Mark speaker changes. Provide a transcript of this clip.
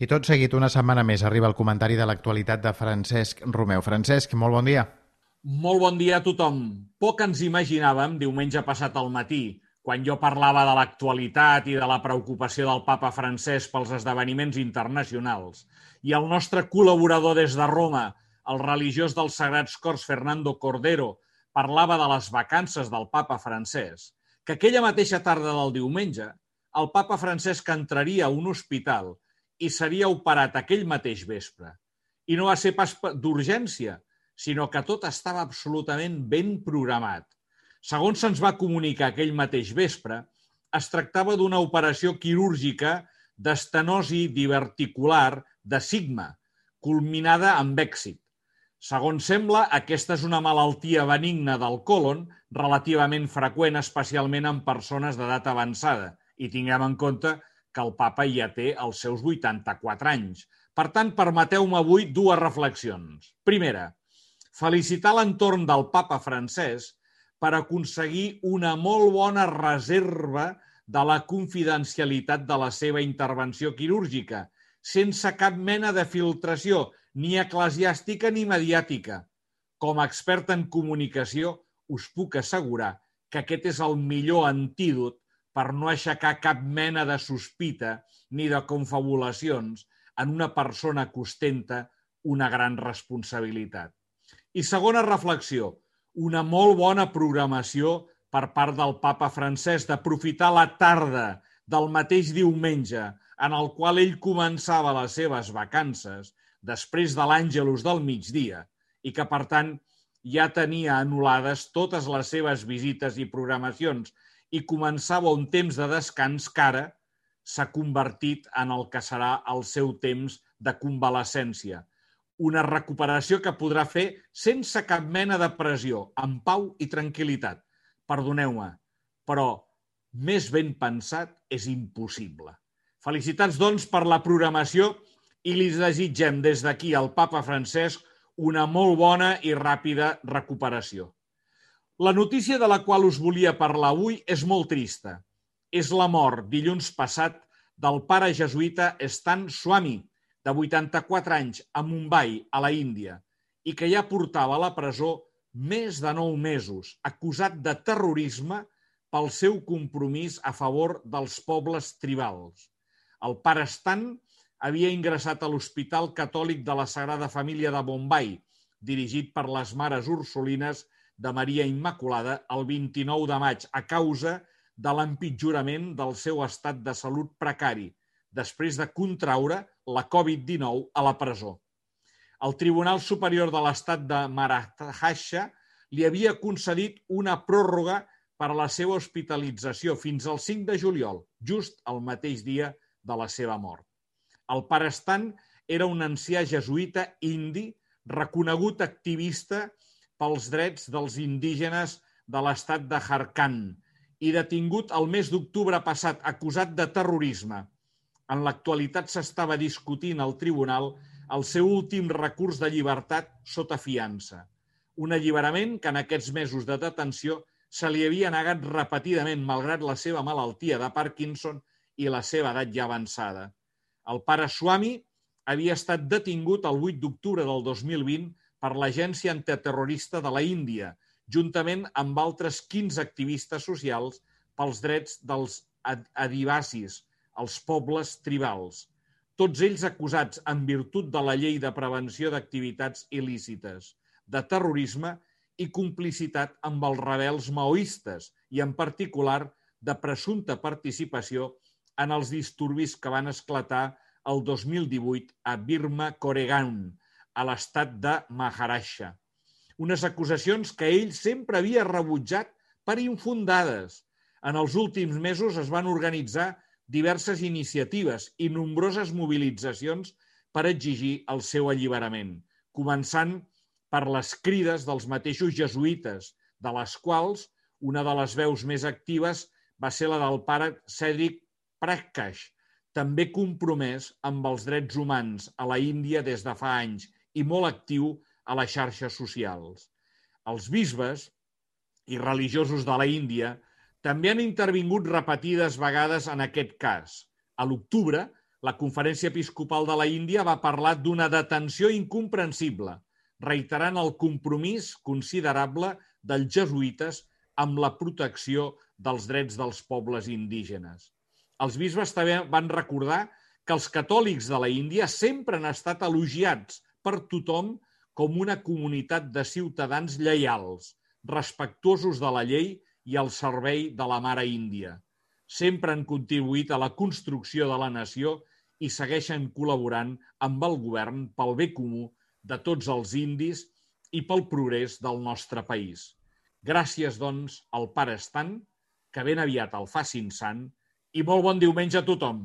Speaker 1: I tot seguit, una setmana més, arriba el comentari de l'actualitat de Francesc Romeu. Francesc, molt bon dia.
Speaker 2: Molt bon dia a tothom. Poc ens imaginàvem diumenge passat al matí, quan jo parlava de l'actualitat i de la preocupació del papa Francesc pels esdeveniments internacionals, i el nostre col·laborador des de Roma, el religiós dels Sagrats Cors Fernando Cordero, parlava de les vacances del papa Francesc, que aquella mateixa tarda del diumenge el papa Francesc entraria a un hospital i seria operat aquell mateix vespre. I no va ser pas d'urgència, sinó que tot estava absolutament ben programat. Segons se'ns va comunicar aquell mateix vespre, es tractava d'una operació quirúrgica d'estenosi diverticular de sigma, culminada amb èxit. Segons sembla, aquesta és una malaltia benigna del còlon relativament freqüent, especialment en persones d'edat avançada, i tinguem en compte que el papa ja té els seus 84 anys. Per tant, permeteu-me avui dues reflexions. Primera, felicitar l'entorn del papa Francesc per aconseguir una molt bona reserva de la confidencialitat de la seva intervenció quirúrgica, sense cap mena de filtració, ni eclesiàstica ni mediàtica. Com a expert en comunicació, us puc assegurar que aquest és el millor antídot per no aixecar cap mena de sospita ni de confabulacions en una persona que ostenta una gran responsabilitat. I segona reflexió, una molt bona programació per part del papa Francesc d'aprofitar la tarda del mateix diumenge en el qual ell començava les seves vacances després de l'Àngelus del migdia i que, per tant, ja tenia anul·lades totes les seves visites i programacions i començava un temps de descans que ara s'ha convertit en el que serà el seu temps de convalescència. Una recuperació que podrà fer sense cap mena de pressió, amb pau i tranquil·litat. Perdoneu-me, però més ben pensat és impossible. Felicitats, doncs, per la programació i li desitgem des d'aquí al papa Francesc una molt bona i ràpida recuperació. La notícia de la qual us volia parlar avui és molt trista. És la mort, dilluns passat, del pare jesuïta Stan Swami, de 84 anys, a Mumbai, a la Índia, i que ja portava a la presó més de 9 mesos, acusat de terrorisme pel seu compromís a favor dels pobles tribals. El pare Stan havia ingressat a l'Hospital Catòlic de la Sagrada Família de Bombai, dirigit per les Mares Ursulines de Maria Immaculada, el 29 de maig, a causa de l'empitjorament del seu estat de salut precari, després de contraure la Covid-19 a la presó. El Tribunal Superior de l'Estat de Maharashtra li havia concedit una pròrroga per a la seva hospitalització fins al 5 de juliol, just el mateix dia de la seva mort. El pare Stan era un ancià jesuïta indi, reconegut activista pels drets dels indígenes de l'estat de Jharkhand i detingut el mes d'octubre passat acusat de terrorisme. En l'actualitat s'estava discutint al tribunal el seu últim recurs de llibertat sota fiança. Un alliberament que en aquests mesos de detenció se li havia negat repetidament malgrat la seva malaltia de Parkinson i la seva edat ja avançada. El pare Swami havia estat detingut el 8 d'octubre del 2020 per l'Agència Antiterrorista de la Índia, juntament amb altres 15 activistes socials pels drets dels adivasis, els pobles tribals, tots ells acusats en virtut de la Llei de Prevenció d'Activitats Il·lícites, de terrorisme i complicitat amb els rebels maoistes i, en particular, de presumpta participació en els disturbis que van esclatar el 2018 a Burma-Koregaon, a l'estat de Maharashtra. Unes acusacions que ell sempre havia rebutjat per infundades. En els últims mesos es van organitzar diverses iniciatives i nombroses mobilitzacions per exigir el seu alliberament, començant per les crides dels mateixos jesuïtes, de les quals una de les veus més actives va ser la del pare Cedric Prakash, també compromès amb els drets humans a la Índia des de fa anys i molt actiu a les xarxes socials. Els bisbes i religiosos de la Índia també han intervingut repetides vegades en aquest cas. A l'octubre, la Conferència Episcopal de la Índia va parlar d'una detenció incomprensible, reiterant el compromís considerable dels jesuïtes amb la protecció dels drets dels pobles indígenes. Els bisbes també van recordar que els catòlics de la Índia sempre han estat elogiats per tothom com una comunitat de ciutadans lleials, respectuosos de la llei i al servei de la mare índia. Sempre han contribuït a la construcció de la nació i segueixen col·laborant amb el govern pel bé comú de tots els indis i pel progrés del nostre país. Gràcies, doncs, al Pare Estant, que ben aviat el facin sant, i molt bon diumenge a tothom.